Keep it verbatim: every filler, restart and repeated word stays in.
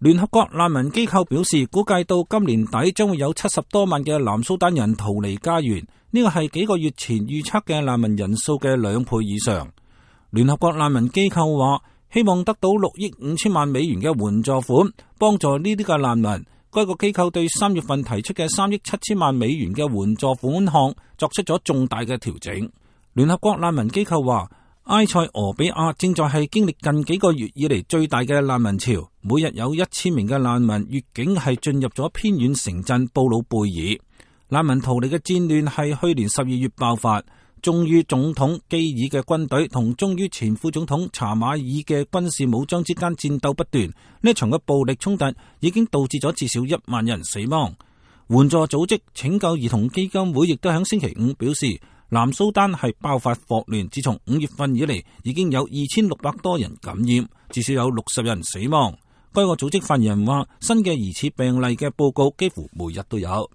聯合國難民機構表示，估計到今年底將會有七十多萬嘅南蘇丹人逃離家園，呢個係幾個月前預測嘅難民人數嘅兩倍以上。聯合國難民機構話，希望得到六億五千萬美元嘅援助款，幫助呢啲嘅難民。該個機構對三月份提出嘅三億七千萬美元嘅援助款項作出咗重大嘅調整。聯合國難民機構話，埃塞俄比亞正在係經歷近幾個月以嚟最大嘅難民潮，每日有一千名嘅難民越境係進入咗偏遠城鎮布魯貝爾。難民逃離嘅戰亂係去年十二月爆發，忠於總統基爾嘅軍隊同忠於前副總統查馬爾嘅軍事武裝之間戰鬥不斷，呢場嘅暴力衝突已經導致咗至少一萬人死亡。援助組織拯救兒童基金會亦都喺星期五表示，南蘇丹係爆發霍亂，自從五月份以嚟已經有二千六百多人感染，至少有六十人死亡。該個組織發言人話，新嘅疑似病例嘅報告幾乎每日都有。